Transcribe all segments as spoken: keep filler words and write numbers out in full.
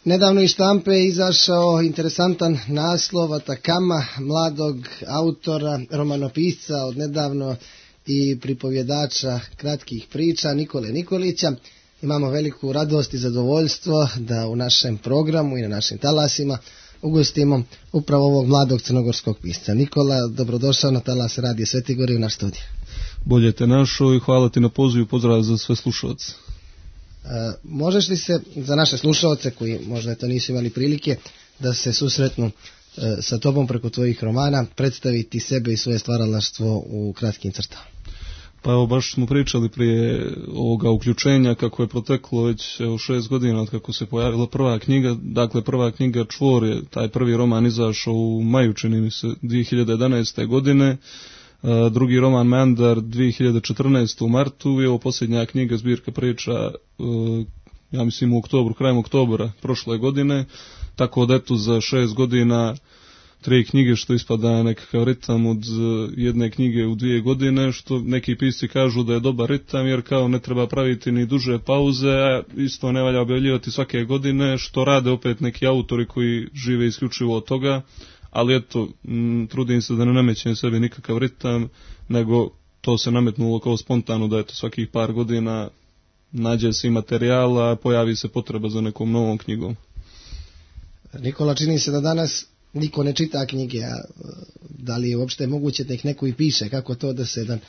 Nedavno iz štampe je izašao interesantan naslov Atakama mladog autora, romanopisca od nedavno i pripovjedača kratkih priča Nikole Nikolića. Imamo veliku radost i zadovoljstvo da u našem programu i na našim talasima ugostimo upravo ovog mladog crnogorskog pisca. Nikola, dobrodošao na talas Radija Sveti Gor i u naš studij. Bolje te našao i hvala ti na pozivu, pozdrav za sve slušalce. E, možeš li se za naše slušalce koji možda to nisu imali prilike da se susretnu e, sa tobom preko tvojih romana, predstaviti sebe i svoje stvaralaštvo u kratkim crtama? Pa evo, baš smo pričali prije ovoga uključenja kako je proteklo već evo, šest godina od kako se pojavila prva knjiga. Dakle, prva knjiga Čvor je, taj prvi roman izašao u maju, čini mi se, dvije hiljade jedanaeste. godine. Uh, drugi roman Meandar dvije hiljade četrnaeste. u martu i ovo posljednja knjiga zbirka priča uh, ja mislim u oktobru, krajem oktobra prošle godine, tako da eto za šest godina tri knjige, što ispada nekakav ritam od jedne knjige u dvije godine, što neki pisci kažu da je dobar ritam, jer kao ne treba praviti ni duže pauze, a isto ne valja objavljivati svake godine, što rade opet neki autori koji žive isključivo od toga. Ali eto, m, trudim se da ne namećem sebi nikakav ritam, nego to se nametnulo kao spontano da eto svakih par godina nađe se i materijala, pojavi se potreba za nekom novom knjigom. Nikola, čini se da danas niko ne čita knjige, a da li je uopšte moguće da ih neko i piše? Kako to da se jedan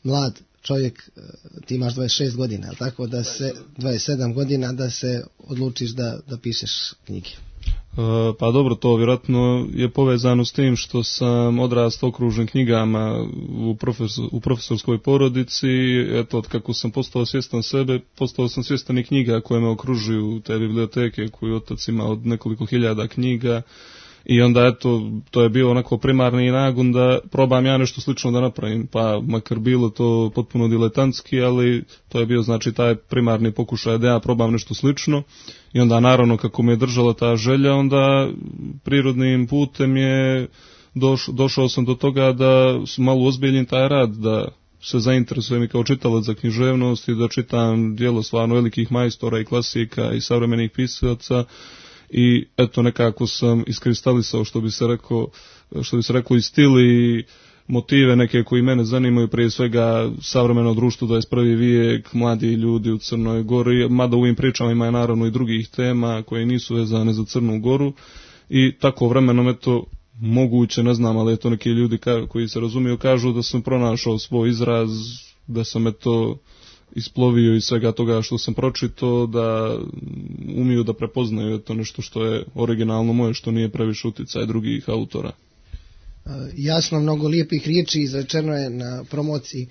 mlad čovjek, ti imaš dvadeset šest godina, ali tako da se, dvadeset sedam godina, da se odlučiš da, da pišeš knjige? Pa dobro, to vjerojatno je povezano s tim što sam odrastao okružen knjigama u, profesor, u profesorskoj porodici. Eto, od kako sam postao svjestan sebe, postao sam svjestan i knjiga koje me okružuju, te biblioteke koju otac ima od nekoliko hiljada knjiga. I onda, eto, to je bio onako primarni nagon da probam ja nešto slično da napravim, pa makar bilo to potpuno diletantski, ali to je bio, znači, taj primarni pokušaj da ja probam nešto slično. I onda, naravno, kako me je držala ta želja, onda prirodnim putem je doš, došao sam do toga da malo ozbiljim taj rad, da se zainteresujem i kao čitalac za književnost i da čitam djelo stvarno velikih majstora i klasika i savremenih pisaca. I eto, nekako sam iskristalisao, što bi se rekao, što bi se reklo, i stil i motive neke koji mene zanimaju, prije svega savremeno društvo, dvadeset prvi vijek, mladi ljudi u Crnoj Gori, mada u ovim pričama ima naravno i drugih tema koje nisu vezane za Crnu Goru. I tako vremenom, eto, moguće, ne znam, ali eto, neki ljudi ka, koji se razumiju kažu da sam pronašao svoj izraz, da sam eto isplovio iz svega toga što sam pročitao, da umiju da prepoznaju to nešto što je originalno moje, što nije previše uticaj drugih autora. Jasno, mnogo lijepih riječi izrečeno je na promociji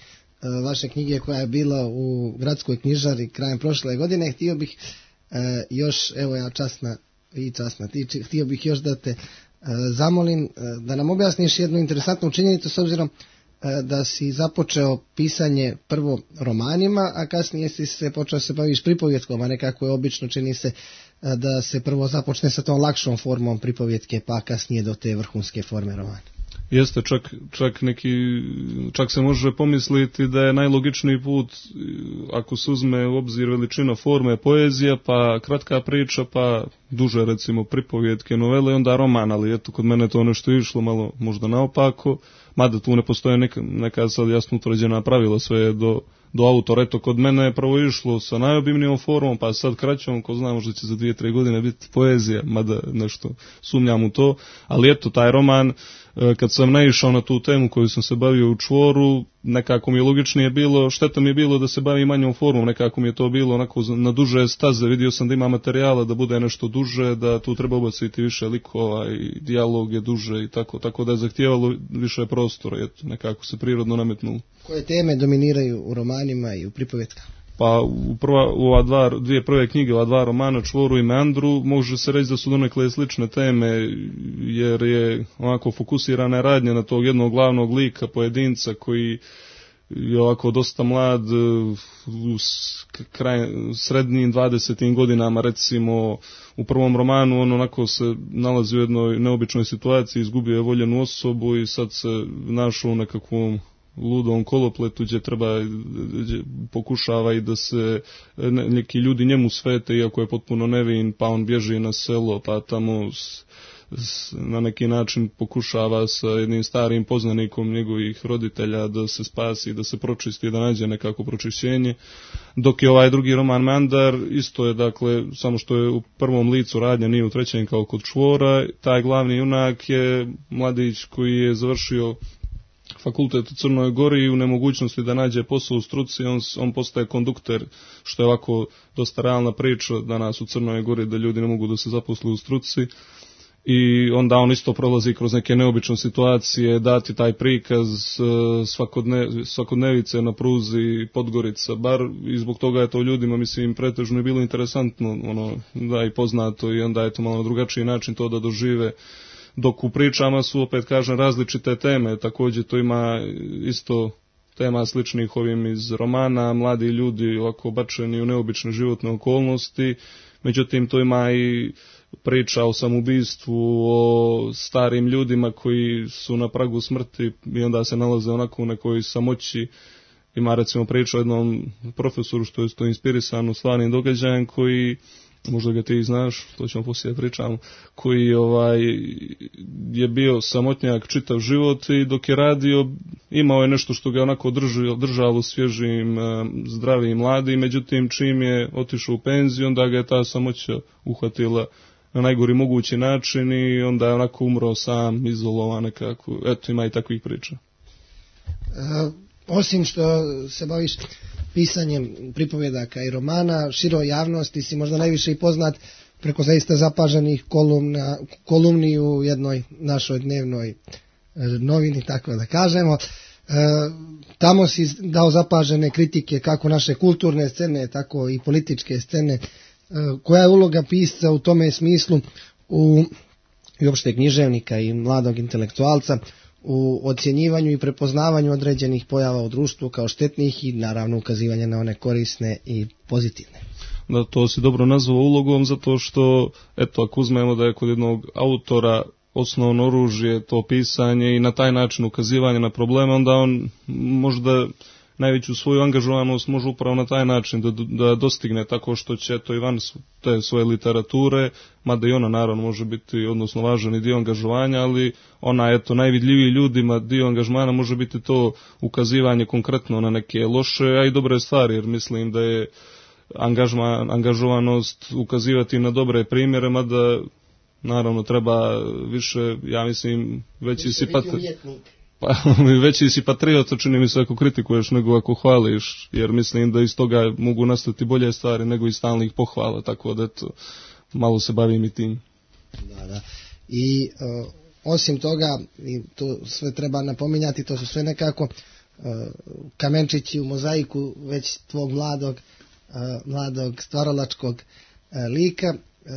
vaše knjige koja je bila u gradskoj knjižari krajem prošle godine. Htio bih još, evo ja časna i časna ti, htio bih još da te zamolim da nam objasniš jednu interesantnu činjenicu, s obzirom da si započeo pisanje prvo romanima, a kasnije si se počeo se baviš pripovjetkom, a nekako je obično, čini se, da se prvo započne sa tom lakšom formom pripovjetke, pa kasnije do te vrhunske forme romana. Jeste, čak, čak, neki, čak se može pomisliti da je najlogičniji put, ako se uzme u obzir veličina forme, poezija, pa kratka priča, pa duže, recimo, pripovjetke, novele, onda roman, ali eto, kod mene to nešto išlo malo možda naopako, mada tu ne postoje neka, neka sad jasno utvrđena pravila, sve je do, do autora. Eto, kod mene je prvo išlo sa najobimnijom formom, pa sad kraćom, ko zna, možda će za dvije, tri godine biti poezija, mada nešto sumnjam u to, ali eto, taj roman, kad sam naišao na tu temu koju sam se bavio u Čvoru, nekako mi je logičnije bilo, šteta mi je bilo da se bavi manjom formom, nekako mi je to bilo onako na duže staze, vidio sam da ima materijala, da bude nešto duže, da tu treba ubaciti više likova i dijalog je duže i tako, tako da je zahtijevalo više prostora, eto, nekako se prirodno nametnulo. Koje teme dominiraju u romanima i u pripovjetkama? Pa u, prva, u ova dva, dvije prve knjige, ova dva romana, Čvoru i Meandru, može se reći da su donekle slične teme, jer je onako fokusirana radnja na tog jednog glavnog lika, pojedinca koji je ovako dosta mlad, u kraj, srednjim dvadesetim godinama, recimo u prvom romanu on onako se nalazi u jednoj neobičnoj situaciji, izgubio je voljenu osobu i sad se našao u nekakvom ludom kolopletu gdje treba, gdje pokušava i da se neki ljudi njemu svete iako je potpuno nevin, pa on bježi na selo, pa tamo s, s, na neki način pokušava sa jednim starim poznanikom njegovih roditelja da se spasi, da se pročisti, da nađe nekako pročišćenje. Dok je ovaj drugi roman Mandar, isto je, dakle, samo što je u prvom licu radnja, nije u trećem kao kod Čvora. Taj glavni junak je mladić koji je završio fakultet u Crnoj Gori i u nemogućnosti da nađe posao u struci, on, on postaje kondukter, što je ovako dosta realna priča danas u Crnoj Gori, da ljudi ne mogu da se zaposle u struci. I onda on isto prolazi kroz neke neobične situacije, dati taj prikaz svakodne, svakodnevice na pruzi Podgorica bar, i zbog toga je to ljudima, mislim, pretežno je bilo interesantno, ono, da i poznato, i onda je to malo na drugačiji način to da dožive. Dok u pričama su, opet kažem, različite teme, također to ima isto tema sličnih ovim iz romana, mladi ljudi ovako bačeni u neobične životne okolnosti, međutim to ima i priča o samobistvu, o starim ljudima koji su na pragu smrti i onda se nalaze onako u nekoj samoći. Ima recimo priča o jednom profesoru što je to inspirisano stvarnim događajem koji, možda ga ti znaš, to ćemo poslije pričamo, koji ovaj, je bio samotnjak čitav život i dok je radio imao je nešto što ga onako držalo, držalo svježim, zdravim, mladim, međutim čim je otišao u penziju, onda ga je ta samoća uhvatila na najgori mogući način i onda je onako umro sam, izolovan nekako. Eto, ima i takvih priča. E, osim što se baviš pisanjem pripovjedaka i romana, široj javnosti si možda najviše i poznat preko zaista zapaženih kolumna, kolumni u jednoj našoj dnevnoj novini, tako da kažemo. E, tamo si dao zapažene kritike kako naše kulturne scene, tako i političke scene. Koja je uloga pisca u tome smislu u, i uopšte književnika i mladog intelektualca u ocjenjivanju i prepoznavanju određenih pojava u društvu kao štetnih i naravno ukazivanje na one korisne i pozitivne? Da, to si dobro nazvao ulogom, zato što, eto, ako uzmemo da je kod jednog autora osnovno oružje to pisanje i na taj način ukazivanje na probleme, onda on možda najveću svoju angažovanost može upravo na taj način da, da dostigne tako što će to i van te svoje literature, mada i ona naravno može biti, odnosno važan i dio angažovanja, ali ona je to najvidljiviji ljudima, dio angažmana može biti to ukazivanje konkretno na neke loše, a i dobre stvari, jer mislim da je angažman, angažovanost ukazivati na dobre primjere, mada naravno treba više, ja mislim, veći si pat... Pa, veći si patriota, čini mi se, ako kritikuješ nego ako hvališ, jer mislim da iz toga mogu nastati bolje stvari nego iz stalnih pohvala, tako da eto, malo se bavim i tim. Da, da. I uh, osim toga, i to sve treba napominjati, to su sve nekako uh, kamenčići u mozaiku već tvog mladog, uh, mladog stvaralačkog uh, lika. Uh,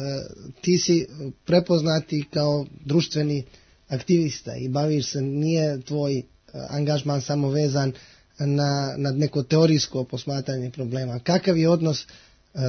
ti si prepoznati kao društveni aktivista i baviš se, nije tvoj angažman samo vezan na, na neko teorijsko posmatranje problema. Kakav je odnos uh,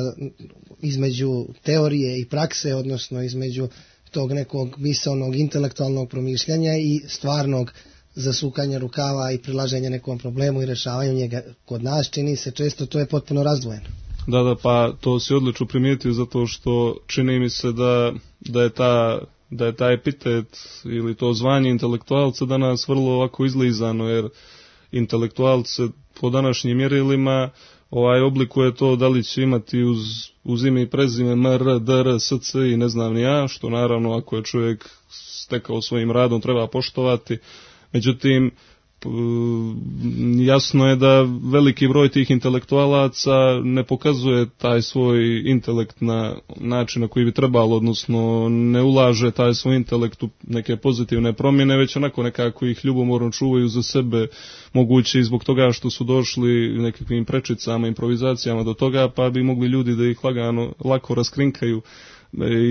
između teorije i prakse, odnosno između tog nekog misaonog intelektualnog promišljanja i stvarnog zasukanja rukava i prilaženja nekom problemu i rješavanju njega? Kod nas čini se često to je potpuno razdvojeno. Da, da, pa to si odlično primijetio, zato što čini mi se da, da je ta da je taj epitet ili to zvanje intelektualca danas vrlo ovako izlizano, jer intelektualce po današnjim mjerilima ovaj oblikuje to da li će imati uz, uz ime i prezime M, R, D, R, S, C i ne znam ni ja, što naravno ako je čovjek stekao svojim radom treba poštovati. Međutim, jasno je da veliki broj tih intelektualaca ne pokazuje taj svoj intelekt na način na koji bi trebalo, odnosno ne ulaže taj svoj intelekt u neke pozitivne promjene, već onako nekako ih ljubomorno čuvaju za sebe, moguće i zbog toga što su došli nekakvim prečicama, improvizacijama do toga, pa bi mogli ljudi da ih lagano, lako raskrinkaju.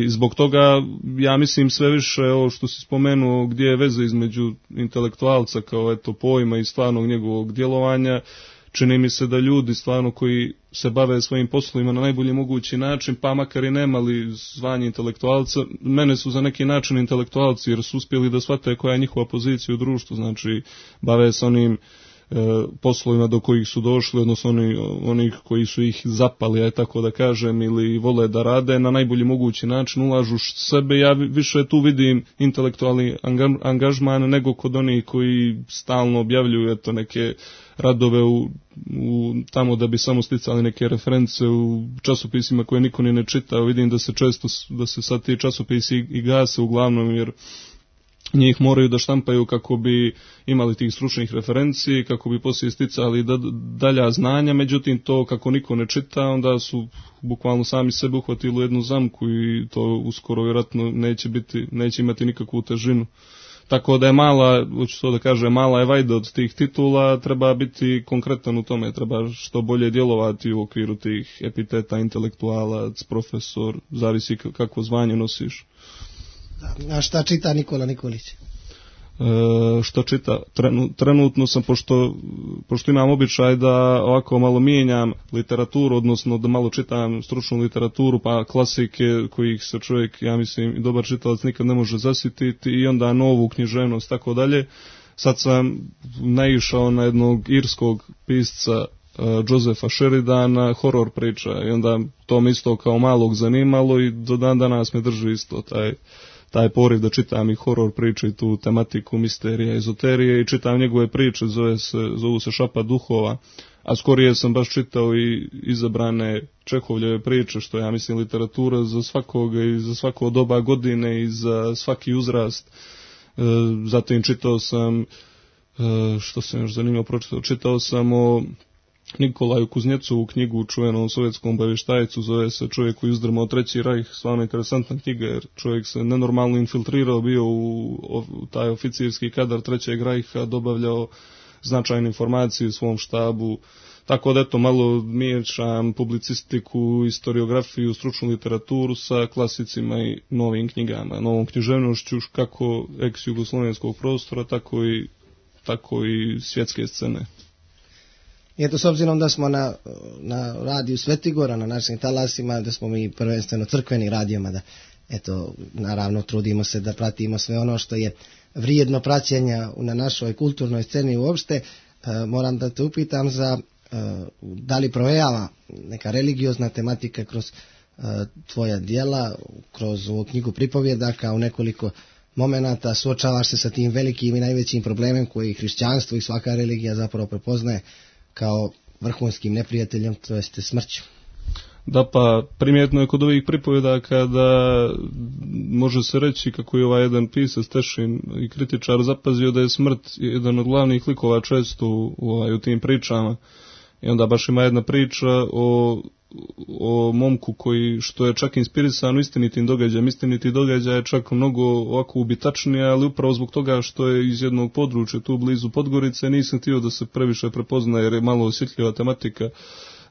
I zbog toga, ja mislim, sve više ovo što si spomenuo, gdje je veza između intelektualca kao eto pojma i stvarnog njegovog djelovanja, čini mi se da ljudi stvarno koji se bave svojim poslovima na najbolji mogući način, pa makar i nemali zvanje intelektualca, mene su za neki način intelektualci jer su uspjeli da shvate koja je njihova pozicija u društvu, znači bave se onim poslovima do kojih su došli, odnosno oni, oni koji su ih zapali, aj tako da kažem, ili vole da rade na najbolji mogući način, ulažu sebe. Ja više tu vidim intelektualni angažman nego kod onih koji stalno objavljuju eto neke radove u, u, tamo da bi samo sticali neke reference u časopisima koje niko ni ne čita. Vidim da se često, da se sad ti časopisi i, i gase uglavnom, jer njih moraju da štampaju kako bi imali tih stručnih referenci, kako bi poslije sticali da, dalja znanja, međutim to kako niko ne čita, onda su bukvalno sami sebe uhvatili u jednu zamku i to uskoro vjerojatno neće biti, neće imati nikakvu težinu. Tako da je mala, hoću to da kažem, mala je vajda od tih titula, treba biti konkretan u tome, treba što bolje djelovati u okviru tih epiteta, intelektualac, profesor, zavisi kako zvanje nosiš. A šta čita Nikola Nikolić? E, što čita? Trenu, trenutno sam, pošto, pošto imam običaj da ovako malo mijenjam literaturu, odnosno da malo čitam stručnu literaturu, pa klasike kojih se čovjek, ja mislim, dobar čitalac nikad ne može zasititi, i onda novu književnost, tako dalje. Sad sam naišao na jednog irskog pisca, Josepha Sheridana, horor priča, i onda to me isto kao malog zanimalo i do dan danas me drži isto taj taj poriv da čitam i horor priče i tu tematiku misterija, ezoterije, i čitam njegove priče, zove se, zovu se Šapa duhova, a skorije sam baš čitao i izabrane Čehovljeve priče, što ja mislim literatura za svakoga i za svako doba godine i za svaki uzrast. E, zatim čitao sam, e, što sam još zanimljivo pročitao, čitao sam o Nikolaju Kuznjecovu knjigu, čuvenom sovjetskom obavještajcu, zove se Čovjek koji uzdrmao Treći rajh, stvarno interesantna knjiga, jer čovjek se nenormalno infiltrirao, bio u, u taj oficirski kadar Trećeg rajha, dobavljao značajne informacije u svom štabu, tako da eto malo miješam publicistiku, historiografiju, stručnu literaturu sa klasicima i novim knjigama, novom književnošću kako ex-jugoslovenskog prostora, tako i, tako i svjetske scene. I eto, s obzirom da smo na, na radiju Svetigora, na našim talasima, da smo mi prvenstveno crkveni radijama, da eto, naravno trudimo se da pratimo sve ono što je vrijedno praćenja na našoj kulturnoj sceni uopšte, e, moram da te upitam za e, da li provejava neka religiozna tematika kroz e, tvoja djela, kroz ovu knjigu pripovjedaka u nekoliko momenata, suočavaš se sa tim velikim i najvećim problemom koji hrišćanstvo i svaka religija zapravo prepoznaje kao vrhunskim neprijateljem, to jeste smrću. Da, pa primjetno je kod ovih pripovjedaka da može se reći kako je ovaj jedan pisac Tešin i kritičar zapazio da je smrt jedan od glavnih likova često u, u, u tim pričama. I onda baš ima jedna priča o, o momku koji, što je čak inspirisan istinitim događajem. Istiniti događaj je čak mnogo ovako ubitačnije, ali upravo zbog toga što je iz jednog područja tu blizu Podgorice, nisam htio da se previše prepozna jer je malo osjetljiva tematika.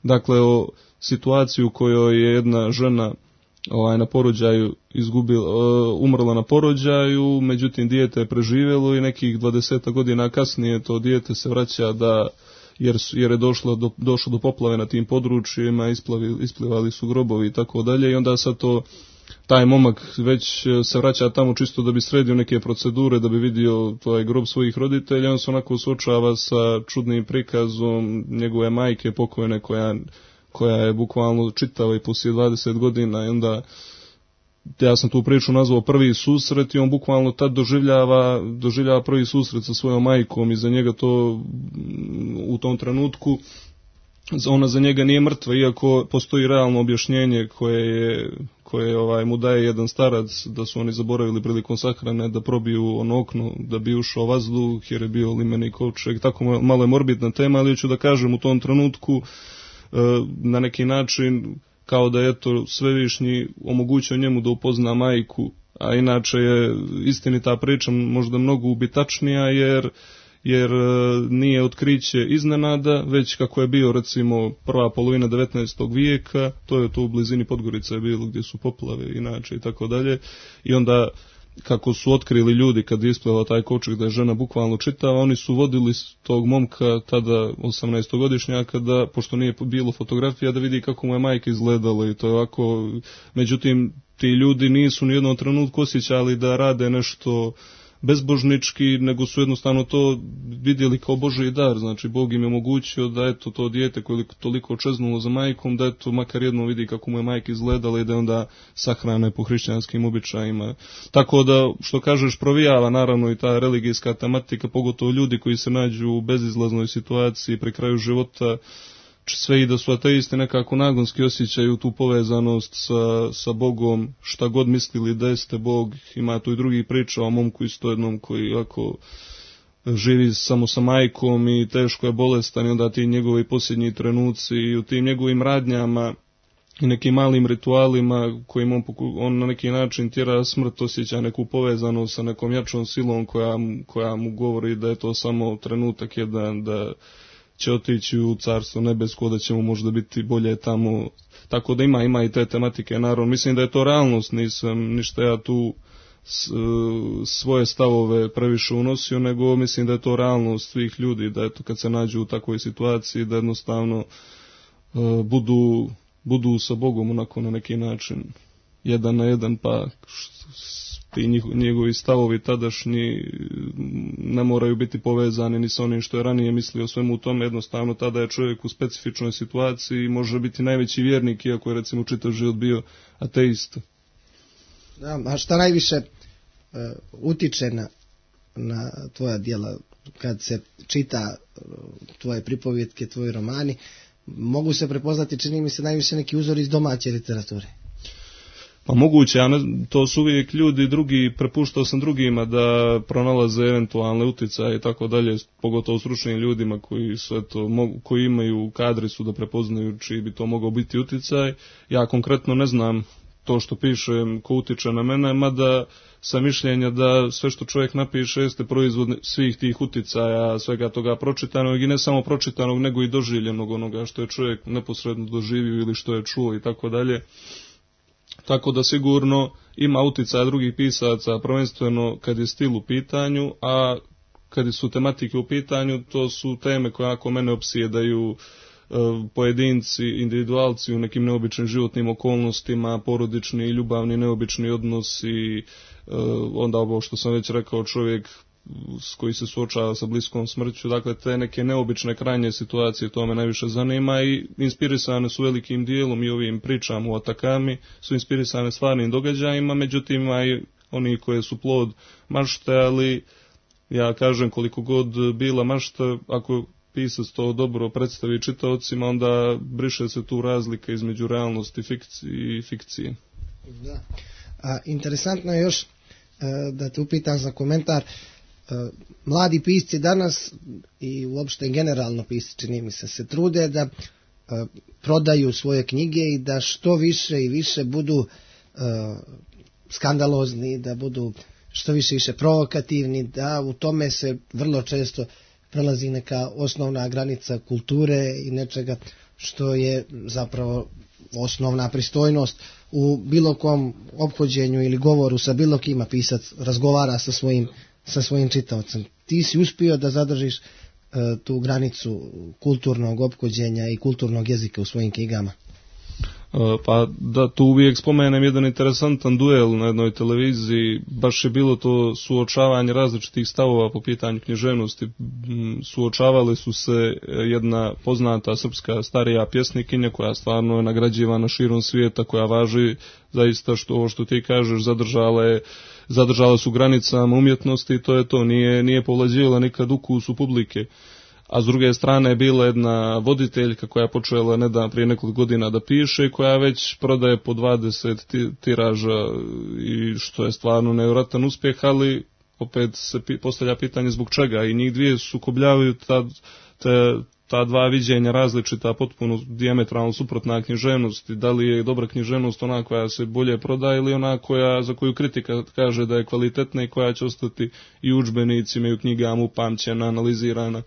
Dakle, o situaciju u kojoj je jedna žena ovaj, na porođaju izgubila, umrla na porođaju, međutim dijete je preživjelo i nekih dvadeset godina kasnije to dijete se vraća da jer, jer je došlo do, došlo do poplave na tim područjima, isplavi, isplivali su grobovi i tako dalje, i onda sad to, taj momak već se vraća tamo čisto da bi sredio neke procedure, da bi vidio taj grob svojih roditelja, on se onako suočava sa čudnim prikazom njegove majke pokojne koja, koja je bukvalno čitava i poslije dvadeset godina, i onda ja sam tu priču nazvao prvi susret i on bukvalno tad doživljava, doživljava prvi susret sa svojom majkom i za njega to u tom trenutku, ona za njega nije mrtva, iako postoji realno objašnjenje koje je, koje ovaj, mu daje jedan starac da su oni zaboravili prilikom sahrane da probiju ono okno da bi ušao vazduh jer je bio limeni kovčeg, tako malo je morbidna tema, ali ću da kažem u tom trenutku na neki način kao da je to svevišnji omogućio njemu da upozna majku, a inače je istinita priča možda mnogo ubitačnija jer, jer nije otkriće iznenada, već kako je bio recimo prva polovina devetnaestog vijeka, to je to u blizini Podgorice je bilo gdje su poplave inače i tako dalje, i onda kako su otkrili ljudi kad je isplivao taj kovčeg da je žena bukvalno čitava, oni su vodili tog momka tada osamnaestogodišnjaka da, pošto nije bilo fotografija, da vidi kako mu je majka izgledala i to je ovako, međutim ti ljudi nisu ni jednom trenutku osjećali da rade nešto bezbožnički, nego su jednostavno to vidjeli kao Božji dar, znači Bog im je omogućio da eto to dijete koje je toliko čeznulo za majkom, da eto makar jedno vidi kako mu je majka izgledala i da je onda sahrane po hrišćanskim običajima. Tako da, što kažeš, provijava naravno i ta religijska tematika, pogotovo ljudi koji se nađu u bezizlaznoj situaciji pri kraju života, sve i da su ateisti nekako nagonski osjećaju tu povezanost sa, sa Bogom, šta god mislili da jeste Bog. Ima tu i drugi priča o momku isto jednom koji jako živi samo sa majkom i teško je bolestan i onda ti njegovi posljednji trenuci i u tim njegovim radnjama i nekim malim ritualima kojim on, on na neki način tjera smrt, osjeća neku povezanost sa nekom jačom silom koja, koja mu govori da je to samo trenutak jedan, da će otići u carstvo nebesko, da će mu možda biti bolje tamo. Tako da ima, ima i te tematike, naravno. Mislim da je to realnost, nisam ništa ja tu s, svoje stavove previše unosio, nego mislim da je to realnost svih ljudi, da eto kad se nađu u takvoj situaciji, da jednostavno uh, budu, budu sa Bogom onako na neki način, jedan na jedan, pa ti njegovi stavovi tadašnji ne moraju biti povezani ni sa onim što je ranije mislio o svemu tome, jednostavno tada je čovjek u specifičnoj situaciji i može biti najveći vjernik, iako je recimo čitav život bio ateist. Da, a šta najviše uh, utiče na, na tvoja djela kad se čita uh, tvoje pripovjetke, tvoji romani, mogu se prepoznati, čini mi se, najviše neki uzori iz domaće literature? Pa moguće, a ne, to su uvijek ljudi drugi, prepuštao sam drugima da pronalaze eventualne utjecaje i tako dalje, pogotovo stručnim ljudima koji su eto, mogu, koji imaju kadri su da prepoznaju čiji bi to mogao biti utjecaj. Ja konkretno ne znam to što pišem ko utiče na mene, mada sam mišljenja da sve što čovjek napiše jeste proizvod svih tih utjecaja, svega toga pročitanog i ne samo pročitanog, nego i doživljenog onoga što je čovjek neposredno doživio ili što je čuo i tako dalje. Tako da sigurno ima utjecaja drugih pisaca, prvenstveno kad je stil u pitanju, a kad su tematike u pitanju, to su teme koje ako mene opsjedaju, e, pojedinci, individualci u nekim neobičnim životnim okolnostima, porodični i ljubavni neobični odnosi, e, onda ovo što sam već rekao, čovjek s koji se suočava sa bliskom smrću, dakle te neke neobične krajnje situacije, to me najviše zanima i inspirisane su velikim dijelom i ovim pričama o Atakami, su inspirisane stvarnim događajima, međutim ima i oni koje su plod mašte, ali ja kažem koliko god bila mašta, ako pisac to dobro predstavi čitaocima, onda briše se tu razlika između realnosti i fikcije. Da. A, interesantno je još da te upitam za komentar. Mladi pisci danas i uopšte generalno pisci, čini mi se, se trude da uh, prodaju svoje knjige i da što više i više budu uh, skandalozni, da budu što više i više provokativni, da u tome se vrlo često prelazi neka osnovna granica kulture i nečega što je zapravo osnovna pristojnost u bilo kom ophođenju ili govoru sa bilo kima. Pisac razgovara sa svojim sa svojim čitaocem. Ti si uspio da zadržiš uh, tu granicu kulturnog ophođenja i kulturnog jezika u svojim knjigama. Pa da, tu uvijek spomenem jedan interesantan duel na jednoj televiziji, baš je bilo to suočavanje različitih stavova po pitanju književnosti. Suočavali su se jedna poznata srpska starija pjesnikinja koja stvarno je nagrađivana širom svijeta, koja važi zaista što ovo što ti kažeš, zadržala je zadržala su granicama umjetnosti i to je to, nije, nije povlađivala nikad ukusu publike. A s druge strane je bila jedna voditeljka koja je počela nedavno prije nekoliko godina da piše i koja već prodaje po dvadeset tiraža i što je stvarno nevjerojatan uspjeh, ali opet se postavlja pitanje zbog čega i njih dvije sukobljavaju ta, te, ta dva viđenja različita, potpuno dijametralno suprotna književnosti. Da li je dobra književnost ona koja se bolje prodaje ili ona koja, za koju kritika kaže da je kvalitetna i koja će ostati i u udžbenicima i u knjigama upamćena, analizirana.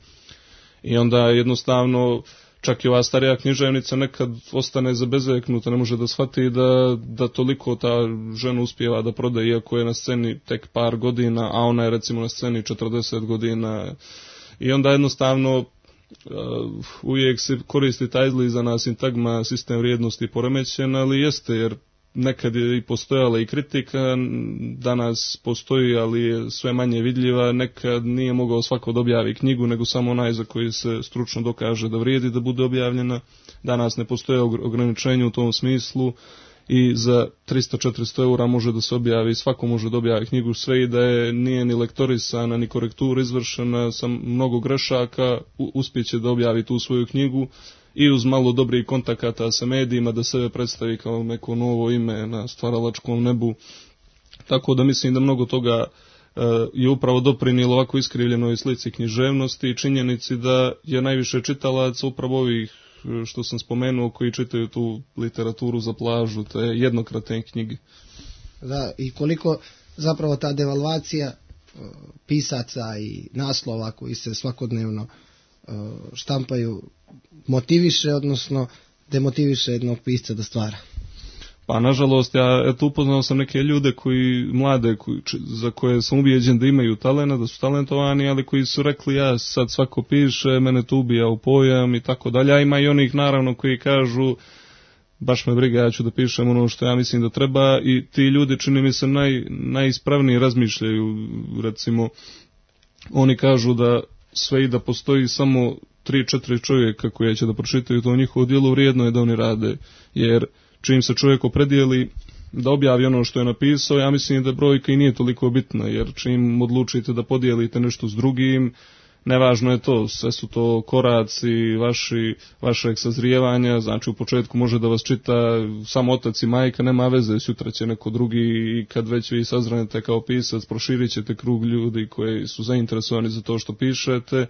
I onda jednostavno čak i ova starija književnica nekad ostane zabezeknuta, ne može da shvati da, da toliko ta žena uspijeva da prodaje, iako je na sceni tek par godina, a ona je recimo na sceni četrdeset godina. I onda jednostavno uh, uvijek se koristi ta izlizana sintagma sistem vrijednosti poremećen, ali jeste, jer nekad je i postojala i kritika, danas postoji, ali je sve manje vidljiva. Nekad nije mogao svako da objavi knjigu, nego samo onaj za koji se stručno dokaže da vrijedi da bude objavljena. Danas ne postoje ograničenje u tom smislu i za tristo do četiristo eura može da se objavi, svako može da objavi knjigu, sve i da je nije ni lektorisana, ni korektura izvršena, sa mnogo grešaka, uspjeće da objavi tu svoju knjigu i uz malo dobrih kontakata sa medijima da sebe predstavi kao neko novo ime na stvaralačkom nebu. Tako da mislim da mnogo toga uh, je upravo doprinijelo ovako iskrivljenoj slici književnosti i činjenici da je najviše čitalaca upravo ovih što sam spomenuo koji čitaju tu literaturu za plažu, te jednokratne knjige. Da, i koliko zapravo ta devalvacija uh, pisaca i naslova koji se svakodnevno uh, štampaju motiviše, odnosno demotiviše jednog pisca da stvara. Pa nažalost, ja eto upoznao sam neke ljude koji, mlade, koji, za koje sam ubijeđen da imaju talenta, da su talentovani, ali koji su rekli ja sad svako piše, mene to ubija u pojam i tako dalje. A ima i onih naravno koji kažu baš me briga, ja ću da pišem ono što ja mislim da treba i ti ljudi čini mi se naj, najispravnije razmišljaju. Recimo, oni kažu da sve i da postoji samo tri četiri čovjeka koji će da pročitaju to njihovo djelo, vrijedno je da oni rade, jer čim se čovjek opredijeli da objavi ono što je napisao, ja mislim da brojka i nije toliko bitna, jer čim odlučite da podijelite nešto s drugim, nevažno je to, sve su to koraci vaši, vašeg sazrijevanja, znači u početku može da vas čita samo otac i majka, nema veze, sutra će neko drugi i kad već vi sazranete kao pisac, proširit ćete krug ljudi koji su zainteresovani za to što pišete.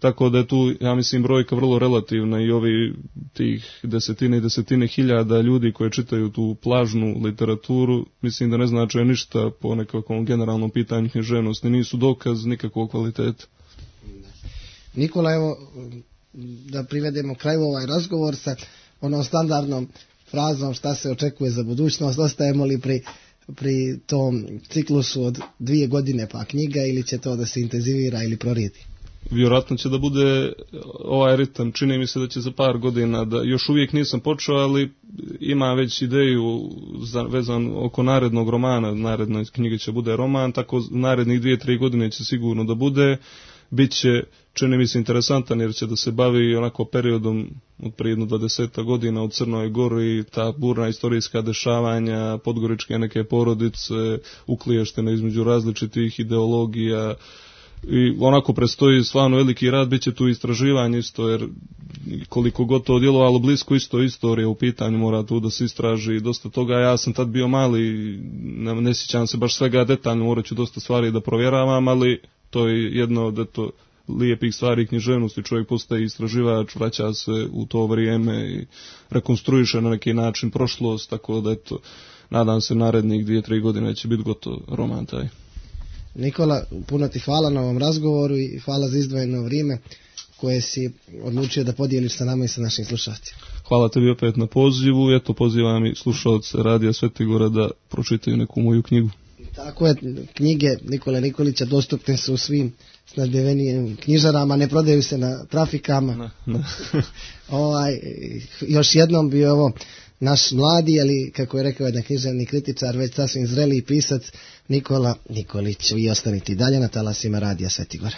Tako da je tu, ja mislim, brojka vrlo relativna i ovi tih desetine i desetine hiljada ljudi koji čitaju tu plažnu literaturu, mislim da ne znače ništa po nekakvom generalnom pitanju književnosti, nisu dokaz nikakvog kvaliteta. Nikola, evo, da privedemo kraju ovaj razgovor sa onom standardnom frazom šta se očekuje za budućnost, ostajemo li pri, pri tom ciklusu od dvije godine pa knjiga ili će to da se intenzivira ili prorijedi? Vjerojatno će da bude ovaj ritam, čini mi se da će za par godina, da još uvijek nisam počeo, ali ima već ideju za, vezan oko narednog romana, narednoj knjige će bude roman, tako narednih dvije, tri godine će sigurno da bude, bit će, čini mi se, interesantan jer će da se bavi onako periodom od prije jedno dvadeseta godina u Crnoj Gori, ta burna istorijska dešavanja, podgoričke neke porodice, ukliještene između različitih ideologija, i onako predstoji stvarno veliki rad, bit će tu istraživanje isto, jer koliko god to djelovalo blisko isto istorija u pitanju, mora tu da se istraži dosta toga. Ja sam tad bio mali, ne, ne sjećam se baš svega detaljno, morat ću dosta stvari da provjeravam, ali to je jedno od eto lijepih stvari književnosti, čovjek postaje istraživač, vraća se u to vrijeme i rekonstruiše na neki način prošlost, tako da eto, nadam se narednih dvije, tri godine će biti gotov roman taj. Nikola, puno ti hvala na ovom razgovoru i hvala za izdvojeno vrijeme koje si odlučio da podijeliš sa nama i sa našim slušalcima. Hvala tebi opet na pozivu, eto pozivam i slušalce Radija Svetigora da pročitaju neku moju knjigu. Tako je, knjige Nikole Nikolića dostupne su u svim snadbevenijim knjižarama, ne prodaju se na trafikama. Ne, ne. ovaj, još jednom bi ovo naš mladi, ali kako je rekao jedan književni kritičar, već sasvim zreli pisac Nikola Nikolić. Vi ostanite dalje na talasima Radija Svetigora.